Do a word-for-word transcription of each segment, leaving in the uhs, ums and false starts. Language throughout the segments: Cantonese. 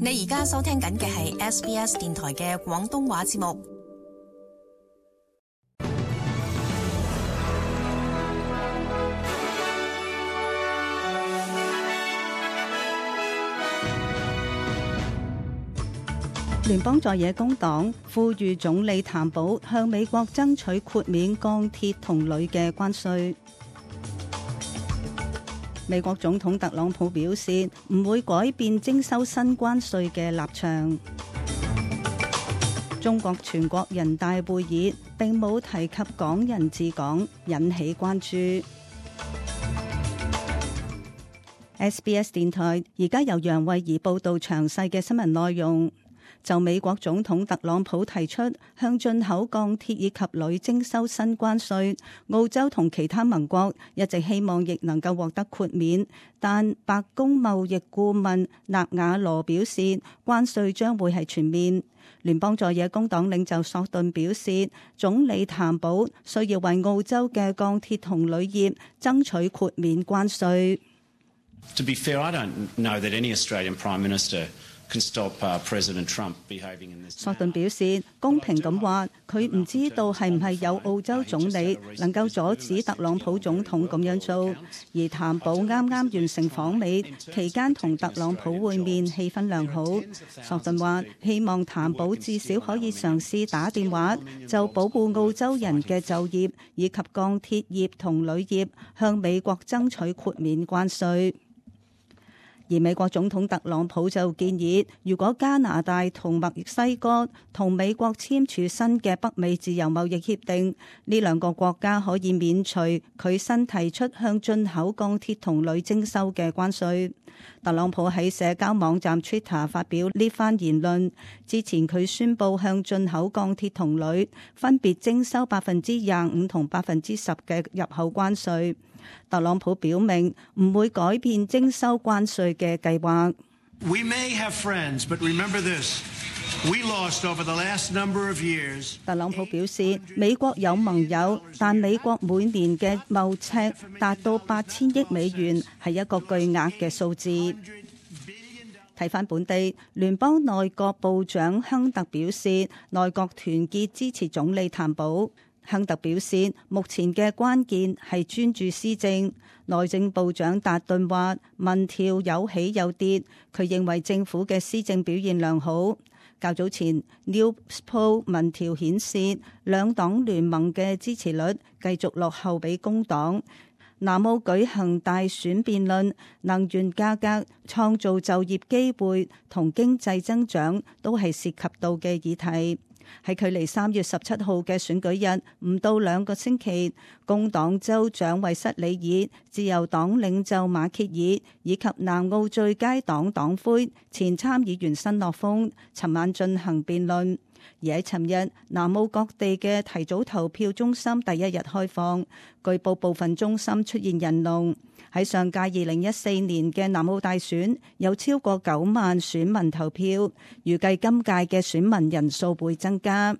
你而家收聽緊嘅係 S B S 電台嘅廣東話節目。聯邦在野工黨呼籲總理譚寶向美國爭取豁免鋼鐵同鋁嘅關稅。美國總統特朗普表示唔會改變徵收新關稅嘅立場。中國全國人大會議並冇提及港人治港，引起關注。S B S 電台而家由楊慧儀報道詳細嘅新聞內容。就美國總統特朗普提出向進口鋼鐵以及鋁徵收新關稅，澳洲同其他盟國一直希望亦能夠獲得豁免，但白宮貿易顧問納瓦羅表示關稅將會係全面。聯邦在野工黨領袖索頓表示，總理譚寶需要為澳洲嘅鋼鐵同鋁業爭取豁免關稅。To be fair, I don't know that any Australian Prime Minister can stop President Trump behaving in this. 索頓表示，公平咁話，佢唔知道係唔係有澳洲總理能夠阻止特朗普總統咁樣做。而譚寶啱啱完成訪美期間同特朗普會面，氣氛良好。索頓話，希望譚寶至少可以嘗試打電話就保護澳洲人嘅就業以及鋼鐵業同鋁業向美國爭取豁免關稅。而美國總統特朗普就建議，如果加拿大同墨西哥同美國簽署新嘅北美自由貿易協定，呢兩個國家可以免除佢新提出向進口鋼鐵同鋁徵收嘅關稅。特朗普喺社交網站 Twitter 發表呢番言論之前，佢宣布向進口鋼鐵同鋁分別徵收百分之廿五同百分之十嘅入口關稅。特朗普表明唔會改變徵收關稅嘅計劃。We may have friends, but remember this. We lost over the last number of years. 特朗普表示，美國有盟友，但美國每年嘅貿赤達到八千億美元，係一個巨額嘅數字。睇返本地，聯邦內閣部長亨特表示，內閣團結支持總理譚寶。亨特表示，目前嘅關鍵係專注施政。內政部長達頓話，民調有起有跌，佢認為政府嘅施政表現良好。較早前 Newspoll 民調顯示，兩黨聯盟嘅支持率繼續落後俾工黨。南澳舉行大選辯論，能源價格、創造就業機會同經濟增長都係涉及到嘅議題。喺距離三月十七號嘅選舉日唔到兩個星期，工黨州長韋瑟里爾、自由黨領袖馬歇爾以及南澳最佳黨黨魁前參議員新諾豐尋晚進行辯論。而喺尋日，南澳各地嘅提早投票中心第一日開放，據報部分中心出現人龍。喺上屆二零一四年嘅南澳大選，有超過九萬選民投票，預計今屆嘅選民人數會增加。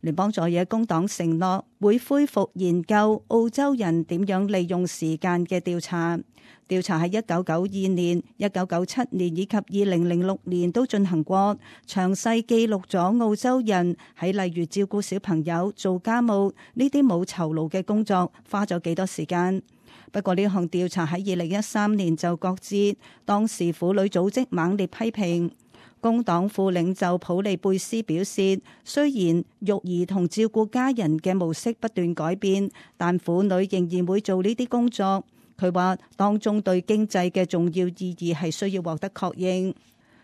聯邦在野工黨承諾會恢復研究澳洲人點樣利用時間嘅調查。調查喺一九九二年、一九九七年以及二零零六年都進行過，詳細記錄咗澳洲人喺例如照顧小朋友、做家務呢啲冇酬勞嘅工作花咗幾多時間。不過呢項調查喺二零一三年就擱置，當時婦女組織猛烈批評。工黨副領袖普利貝斯表示，雖然育兒同照顧家人嘅模式不斷改變，但婦女仍然會做呢啲工作。佢話當中對經濟嘅重要意義係需要獲得確認。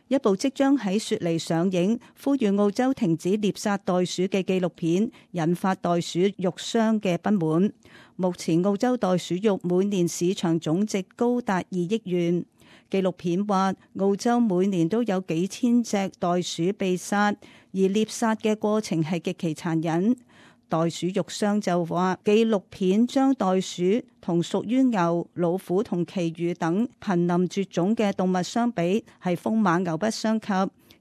一部即將喺雪梨上映，呼籲澳洲停止獵殺袋鼠嘅紀錄片，引發袋鼠肉商嘅不滿。目前澳洲袋鼠肉每年市場總值高達二億元。紀錄片話，澳洲每年都有幾千隻袋鼠被殺，而獵殺嘅過程係極其殘忍。袋鼠肉商就話，紀錄片將袋鼠同屬於牛、老虎同其餘等瀕臨絕種嘅動物相比，係風馬牛不相及。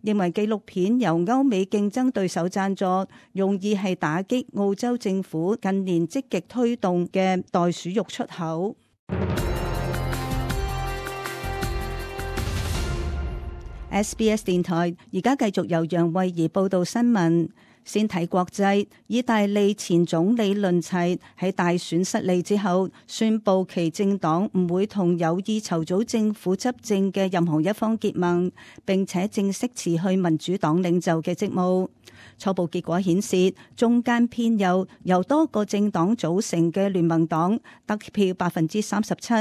認為紀錄片由歐美競爭對手贊助，容易係打擊澳洲政府近年積極推動嘅袋鼠肉出口。S B S 電台而家繼續由楊慧儀報道新聞。先睇國際，意大利前總理倫齊喺大選失利之後，宣布其政黨唔會同有意籌組政府執政嘅任何一方結盟，並且正式辭去民主黨領袖嘅職務。初步結果顯示，中間偏右由多個政黨組成嘅聯盟黨得票百分之三十七，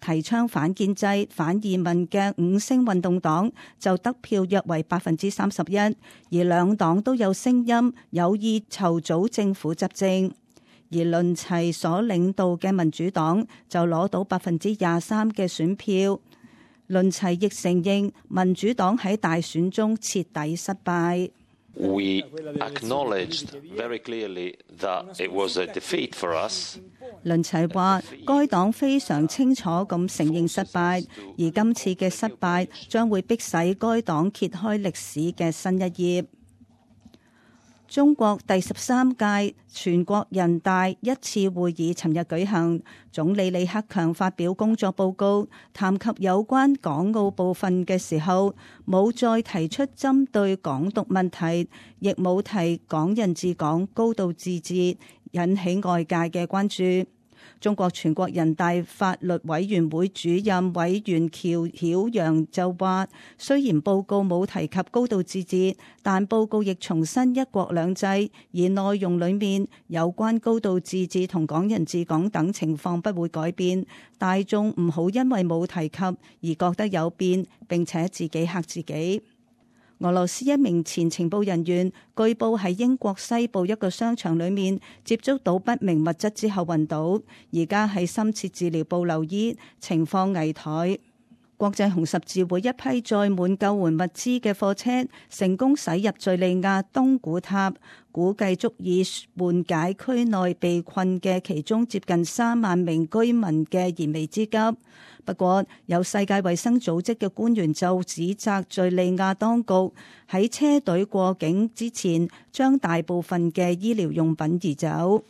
提倡反建制、反移民嘅五星運動黨就得票約為百分之三十一，而兩黨都有聲音有意籌組政府執政。而倫齊所領導嘅民主黨就攞到百分之廿三嘅選票。倫齊亦承認民主黨喺大選中徹底失敗。We acknowledged very clearly that it was a defeat for us. 倫齊話，該黨非常清楚咁承認失敗，而今次嘅失敗將會迫使該黨揭開歷史嘅新一頁。中國第十三屆全國人大一次會議尋日舉行，總理李克強發表工作報告，談及有關港澳部分嘅時候，冇再提出針對港獨問題，亦冇提港人治港、高度自治，引起外界嘅關注。中國全國人大法律委員會主任委員喬曉陽就話，雖然報告冇提及高度自治，但報告亦重申一國兩制，而內容裏面有關高度自治同港人治港等情況不會改變，大眾唔好因為冇提及而覺得有變，並且自己嚇自己。俄羅斯一名前情報人員據報喺英國西部一個商場裏面接觸到不明物質之後暈倒，而家喺深切治療部留醫，情況危殆。國際紅十字會一批載滿救援物資嘅貨車成功駛入敘利亞東古塔，估計足以緩解區內被困嘅其中接近三萬名居民嘅燃眉之急。不過，有世界衛生組織嘅官員就指責敘利亞當局喺車隊過境之前將大部分嘅醫療用品移走。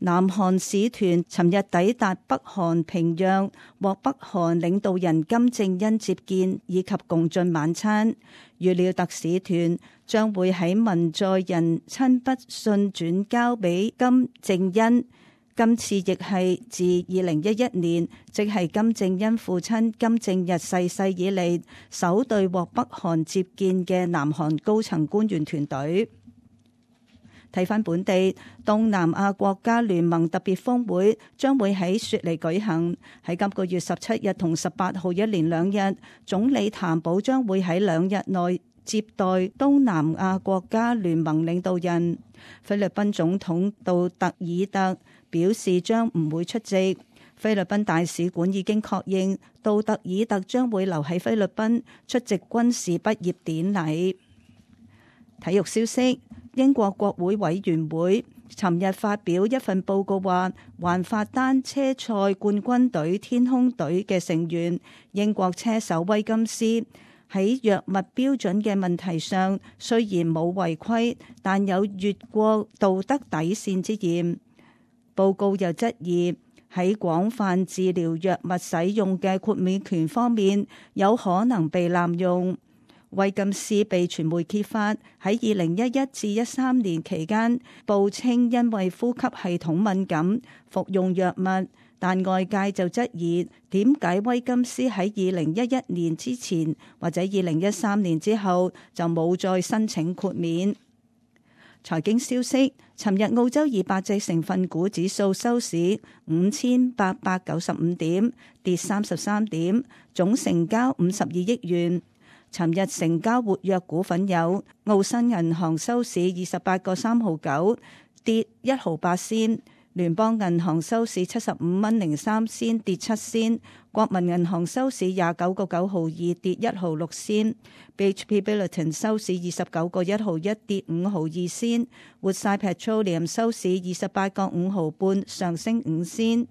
南韓使團尋日抵達北韓平壤，獲北韓領導人金正恩接見以及共進晚餐。預料特使團將會喺文在寅親筆信轉交俾金正恩。今次亦係自二零一一年，即係金正恩父親金正日逝世以嚟，首隊獲北韓接見嘅南韓高層官員團隊。睇返本地，東南亞國家聯盟特別峰會將會喺雪梨舉行，喺今個月十七日同十八號一連兩日，總理譚寶將會喺兩日內接待東南亞國家聯盟領導人。菲律賓總統杜特爾特表示將唔會出席。菲律賓大使館已經確認杜特爾特將會留喺菲律賓出席軍事畢業典禮。體育消息，英國國會委員會尋日發表一份報告話，環法單車賽冠軍隊天空隊嘅成員英國車手威金斯喺藥物標準嘅問題上雖然冇違規，但有越過道德底線之嫌。報告又質疑喺廣泛治療藥物使用嘅豁免權方面有可能被濫用。威金斯被傳媒揭發喺二零一一至一三年期間報稱因為呼吸系統敏感服用藥物，但外界就質疑點解威金斯喺二零一一年之前或者二零一三年之後就冇再申請豁免。財經消息，尋日澳洲二百隻成分股指數收市五千八百九十五點，跌三十三點，總成交五十二億元。尋日成交活躍股份有澳新銀行收市二十八個三毫九，跌一毫八仙；聯邦銀行收市七十五蚊零三仙，跌七仙；國民銀行收市廿九個九毫二，跌一毫六仙；B H P Billiton 收市二十九個一毫一，跌五毫二仙；活塞 Petroleum 收市二十八個五毫半，上升五仙。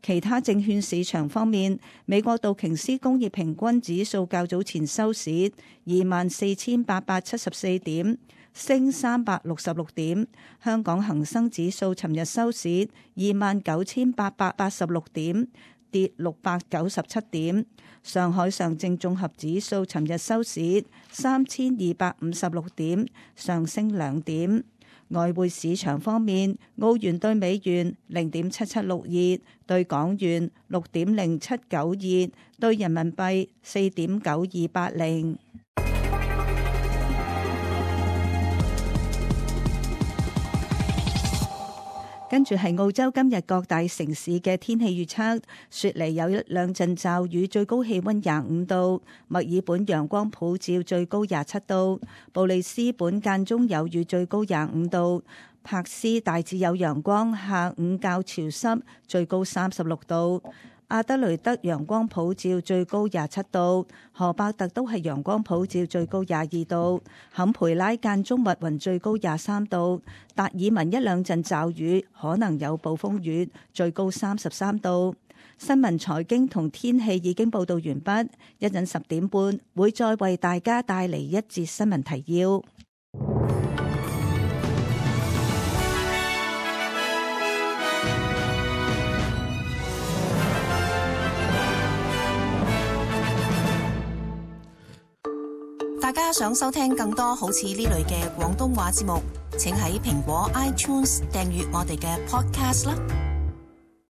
其他證券市場方面，美國道瓊斯工業平均指數較早前收市二萬四千八百七十四點，升三百六十六點。香港恒生指數尋日收市二萬九千八百八十六點，跌六百九十七點。上海上證綜合指數尋日收市三千二百五十六點，上升兩點。外匯市場方面，澳元對美元零點七七六二，對港元六點零七九二，對人民幣四點九二八零。跟住係澳洲今日各大城市嘅天氣預測：雪梨有一兩陣驟雨，最高氣溫廿五度；墨爾本陽光普照，最高廿七度；布里斯本間中有雨，最高廿五度；柏斯大致有陽光，下午較潮濕，最高三十六度。阿德雷德陽光普照，最高廿七度；荷伯特都係陽光普照，最高廿二度；坎培拉間中密雲，最高廿三度；達爾文一兩陣驟雨，可能有暴風雨，最高三十三度。新聞財經同天氣已經報道完畢，一陣十點半會再為大家帶嚟一節新聞提要。大家想收聽更多好似呢類嘅廣東話節目，請喺蘋果 iTunes 訂閱我哋嘅 Podcast 啦。